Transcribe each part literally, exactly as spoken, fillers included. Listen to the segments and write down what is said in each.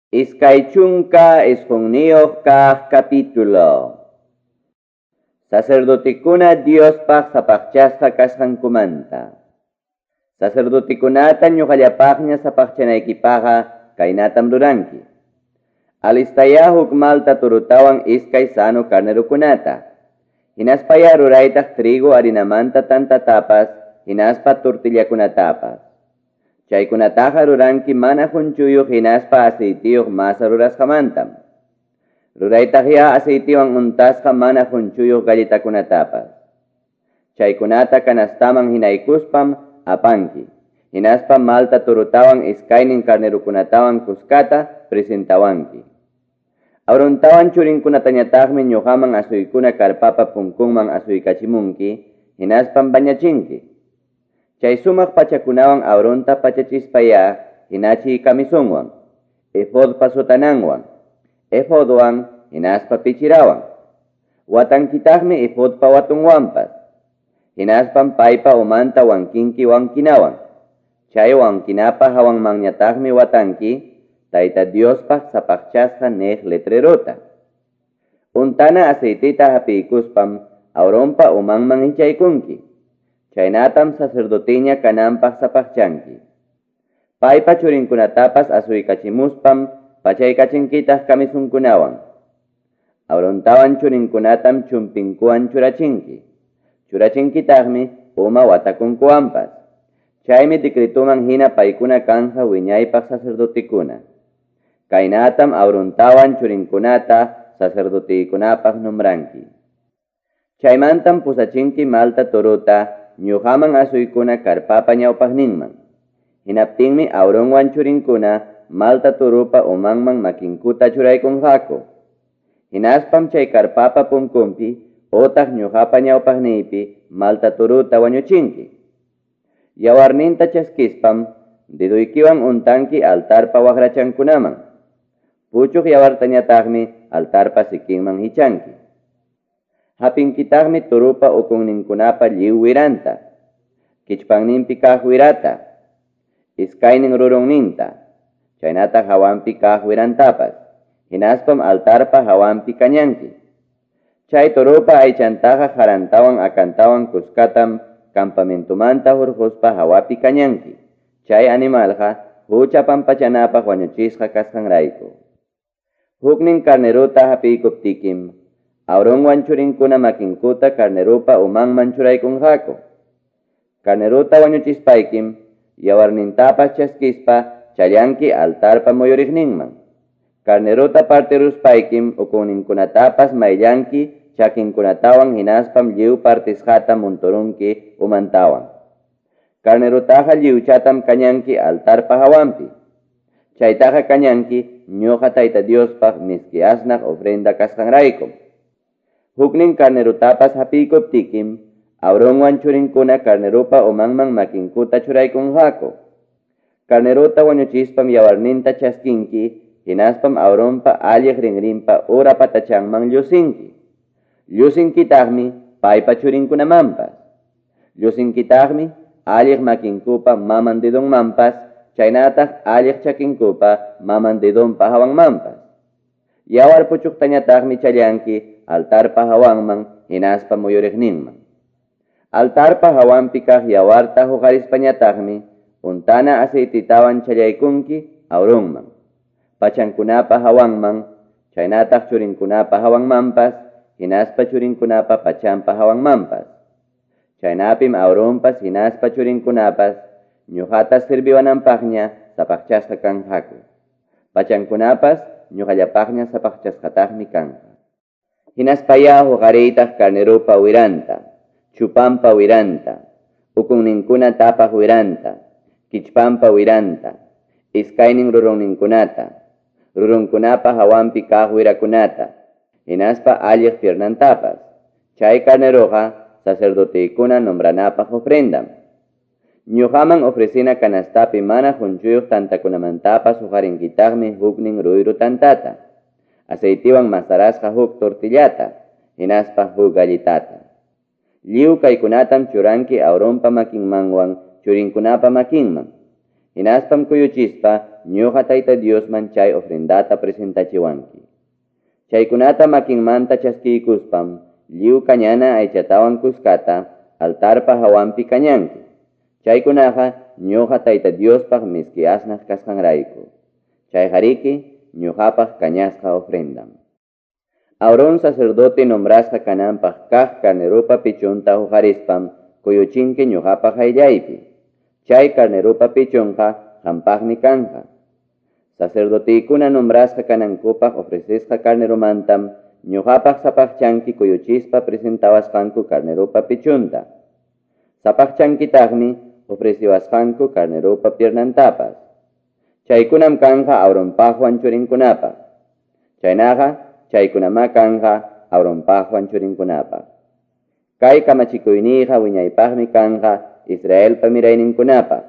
Iskay chunka isqunniyuq kaq capítulo. Sacerdotekuna Diospaq sapaqchasqa kasqankumanta. Sacerdotekunata ñuqallapaqña sapaqchanaykipaqqa kaynatam ruranki. Alistaya huk malta turutawan iskay sano carnerukunata. Hinaspaya ruraytaq trigo harinamanta tantatapas, hinaspa tortillakunatapas. Chaykunataqa ruranki mana hunchuyuq hinaspa aceitiyuq masa rurasqamantam. Ruraytaqya aceitiwan untasqa mana hunchuyuq galletakunatapas. Chaykunata kanastaman hinaykuspam apanki. Hinaspa malta turutawan iskaynin carnerukunatawan kuskata presentawanki. Aarontawan churinkunatañataqmi ñuqaman asuykuna karpapa punkunman asuykachimunki, hinaspam bañachinki. Chay sumaq pachakunawan Aaronta pachachispaya hinachiy camisonwan, efodpa sotananwan, efodwan hinaspa pichirawan. Watankitaqmi efodpa watunwanpas. Hinaspam paypa umanta wankinki wankinawan. Chay wankinapa hawanmanñataqmi watanki Tayta Diospaq sapaqchasqa niq letrerota. Untana aceitita hapiykuspam Aaronpa umanman hichaykunki. Chaynatam sacerdoteña kananpaq sapaqchanki. Paypa churinkunatapas asuykachimuspam pachaykachinkitaj kamisunkunawan. Aarontawan churinkunatam chumpinkuwan churachinki. Churachinkitaqmi uma watakunkuwanpas. Chaymi decretuman hina paykuna kanja wiñaypaq sacerdotekuna. Kaynatam Aarontawan churinkunata sacerdotekunapaq nombranki. Chaymantam pusachinki malta torota ñuqaman asuykuna karpapa ñawpaqninman. Hinaptinmi Aaronwan churinkuna malta turupa umanman makinkuta churaykunqaku. Hinaspam chay karpapa punkunpi otaq ñuqapa ñawpaqniypi malta turuta wañuchinki. Yawarninta chaskispam deduykiwan untanki altarpa waqrachankunaman. Puchuq yawartañataqmi altarpa sikinman hichanki. Hapinkitaqmi turupa ukunninkunapa lliw wiranta, kichpanninpi kaq wirata, iskaynin rurunninta, chaynataq hawanpi kaq wirantapas, hinaspam altarpa hawanpi kañanki. Chay turupa aychantaqa harantawan akantawan kuskatam campamentumanta hurquspa hawapi kañanki. Chay animalqa hucha pampachanapaq wañuchisqa kasqanrayku. Huknin carneruta hapiykuptikim, Aaronwan churinkuna makinkuta carnerupa umanman churaykunqaku. Carneruta wañuchispaykim, yawarnintapas chaskispa challanki altarpa muyuriqninman. Carneruta partiruspaykim ukunninkunatapas mayllanki chakinkunatawan hinaspam lliw partisqata munturunki umantawan. Carnerutaqa lliwchatam kañanki altarpa hawanpi. Chaytaqa kañanki ñuqa Tayta Diospaq miski asnaq ofrenda kasqanraykum. Huknin carnerutapas hapiykuptikim, Aaronwan churinkuna carnerupa umanman makinkuta churaykunqaku. Carneruta wañuchispam yawarninta chaskinki, hinaspam Aaronpa alliq rinrinpa ura patachanman llusinki. Llusinkitaqmi paypa churinkunamanpas. Llusinkitaqmi alliq makinkupa maman dedonmanpas, chaynataq alliq chakinkupa maman dedonpa hawanmanpas. Yawar puchuqtañataqmi challanki altarpa hawanman hinaspa muyuriqninman. Altarpa hawanpi kaq yawarta huqarispañataqmi untana aceititawan challaykunki Aaronman, pachankunapa hawanman, chaynataq churinkunapa hawanmanpas, hinaspa churinkunapa pachanpa hawanmanpas. Chaynapim Aaronpas hinaspa churinkunapas ñuqata sirviwananpaqña sapaqchasqa kanqaku. Pachankunapas ñuqallapaqña sapaqchasqataqmi kanqa. Hinaspaya huqariytaq carnerupa wiranta, chupampa wiranta, ukunninkuna tapaq wiranta, kichpampa wiranta, iskaynin rurunninkunata, rurunkunapa hawanpi kaq wirakunata, hinaspa alliq piernantapas. Chay carneruqa sacerdotekuna nombranapaq ofrendam. Ñuqaman ofrecina canastapi mana hunchuyuq tantakunamantapas huqarinkitaqmi huknin ruyru tantata, aceitiwan masarasqa huk tortillata, hinaspa huk galletata. Lliw kaykunatam churanki Aaronpa makinmanwan churinkunapa makinman. Hinaspam kuyuchispa ñuqa Tayta Diosman chay ofrendata presentachiwanki. Chaykunata makinmanta chaskiykuspam lliw kañana aychatawan kuskata altarpa hawanpi kañanki. Chaykunaqa ñuqa Tayta Diospaq miski asnaq kasqanrayku. Chayqariki ñuqapaq kañasqa ofrendam. Aarón sacerdote nombrasqa kananpaq kaq carnerupa pichunta huqarispam kuyuchinki ñuqapaq qayllaypi. Chay carnerupa pichunqa qampaqmi kanja. Sacerdotikuna nombrasqa kanankupaq ofrecesqa carnerumantam ñuqapaq sapaqchanki kuyuchispa presentawasqanku carnerupa pichunta. Sapaqchankitaqmi ofreciwasqanku carnerupa piernantapas. Chaykunam kanja Aaronpaqwan churinkunapaq. Chaynaqa chaykunamá kanja Aaronpaqwan churinkunapaq. Kay kamachikuyniyqa wiñaypaqmi kanja Israelpa mirayninkunapaq.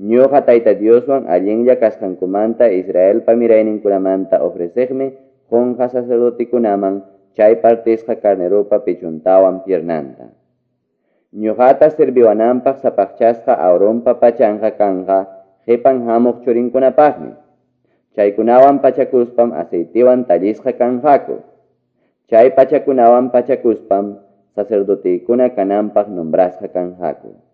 Ñuqa Tayta Dioswan allinlla kasqankumanta Israelpa mirayninkunamanta ofreceqmi qunqa sacerdotikunaman chay partisqa carnerupa pichuntawan piernanta. Ñuqata serviwananpaq sapaqchasqa Aaronpa pachanqa kanja qipan hamuq churinkunapaqmi. Chaykunawan pachakuspam aceitiwan tallisqa kanqaku. Chay pachakunawan pachakuspam sacerdotikuna kananpaq nombrasqa kanqaku.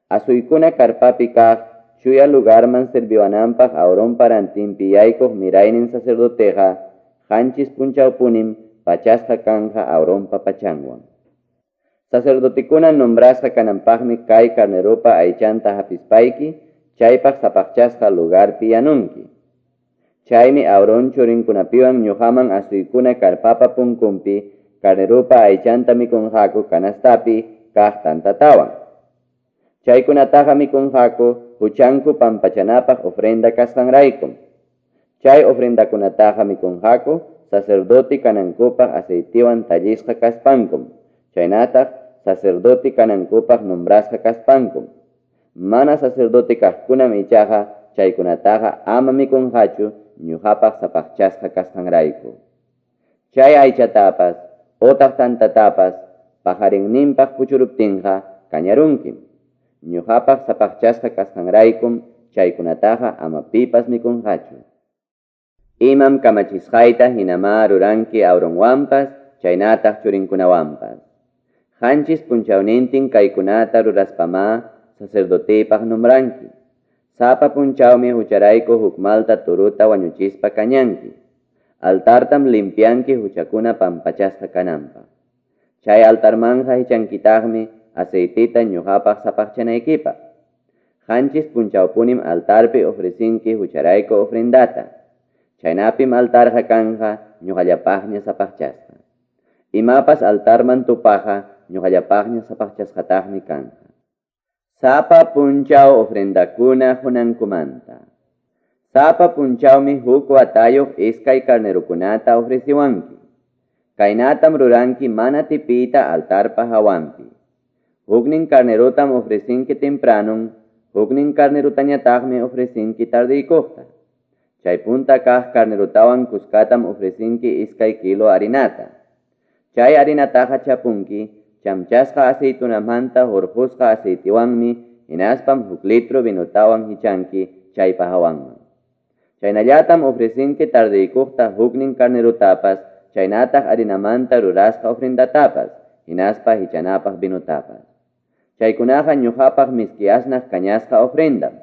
Asuykuna karpapi kaq chuya lugarman serviwananpaq Aaronpa rantinpi yaykuq miraynin sacerdoteqa qanchis punchawpunim pachasqa kanja Aaronpa pachanwan. Sacerdotikuna nombrasqa kananpaqmi kay carnerupa aychanta hapispayki chaypaq sapaqchasqa lugarpi yanunki. Chaymi Aarón churinkunapiwan ñuqaman asuykuna karpapa punkunpi carnerupa aychanta mikunqaku canastapi kaq tantatawan. Chaykunataqa mikunqaku huchanku pampachanapaq ofrenda kasqanraykum. Chay ofrendakunataqa mikunqaku sacerdote kanankupaq aceitiwan tallisqa kaspankum. Chaynataq sacerdote kanankupaq nombrasqa kaspankum. Mana sacerdote kaqkunam ichaqa chaykunataqa ama mikunqachu ñuqapaq sapaqchasqa kasqanrayku. Chay aychatapas otaq tantatapas pajarinninpaq puchuruptinqa kañarunkim. Ñuqapaq sapaqchasqa kasqanraykum chaykunataqa ama pipas mikunqachu. Imam kamachisqayta hinamá ruranki Aaronwanpas chaynataq churinkunawanpas. Qanchis punchawnintin kaykunata ruraspamá sacerdotepaq nombranki. Sapa punchawmi hucharayku huk malta turuta wañuchispa kañanki. Altartam limpianki huchakuna pampachasqa kananpaq. Chay altarmanja hichankitaqmi aceitita ñuqapaq sapaqchanaykipaq. Qanchis punchawpunim altarpi ofrecinki hucharayku ofrendata. Chaynapim altarqa kanja ñuqallapaqña sapaqchasqa. Imapas altarman tupaqa ñuqallapaqña sapaqchasqataqmi kanja. Sapa punchaw ofrendakuna qunankumanta. Sapa punchawmi huk watayuq iskay carnerukunata ofreciwanki. Kaynatam ruranki mana tipita altarpa hawanpi. Huknin carnerutam ofrecinki tempranun, huknin carnerutañataqmi ofrecinki tardiykuqta. Chay punta kaq carnerutawan kuskatam ofrecinki iskay kilo harinata. Chay harinataqa chapunki chamchasqa aceitunamanta hurqusqa aceitiwanmi hinaspam huk litro vinotawan hichanki chaypa hawanman. Chaynallatam ofrecinki tardiykuqta huknin carnerutapas, chaynataq harinamanta rurasqa ofrendatapas, hinaspa hichanapaq vinotapas. Chaykunaqa ñuqapaq miski asnaq kañasqa ofrendam.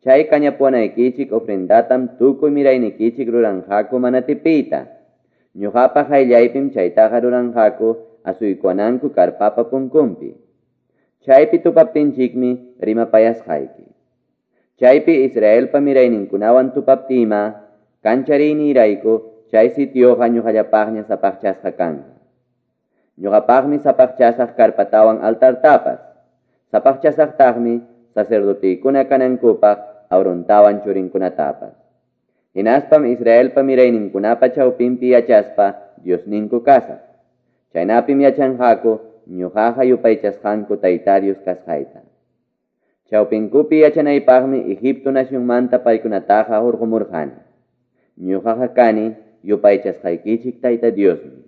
Chay kañapuwanaykichik ofrendatam tukuy miraynikichik ruranqaku mana tipiyta. Ñuqapaq qayllaypim chaytaqa ruranqaku asuykuwananku karpapa punkunpi. Chaypi tupaptinchikmi rimapayasqayki. Chaypi Israelpa mirayninkunawan tupaptima, kanchariynirayku chay sitioqa ñuqallapaqña sapaqchasqa kanqa. Ñuqapaqmi sapaqchasaq karpatawan altartapas. Sapaqchasaqtaqmi sacerdotikuna kanankupaq Aarontawan churinkunatapas. Hinaspam Israelpa mirayninkunapa chawpinpi yachaspa Diosninku kasaq. Chaynapim yachanqaku ñuqaqa yupaychasqanku Tayta Dios kasqayta. Chawpinkupi yachanaypaqmi Egipto nacionmanta paykunataqa hurqumurqani. Ñuqaqa kani yupaychasqaykichik Tayta Diosmi.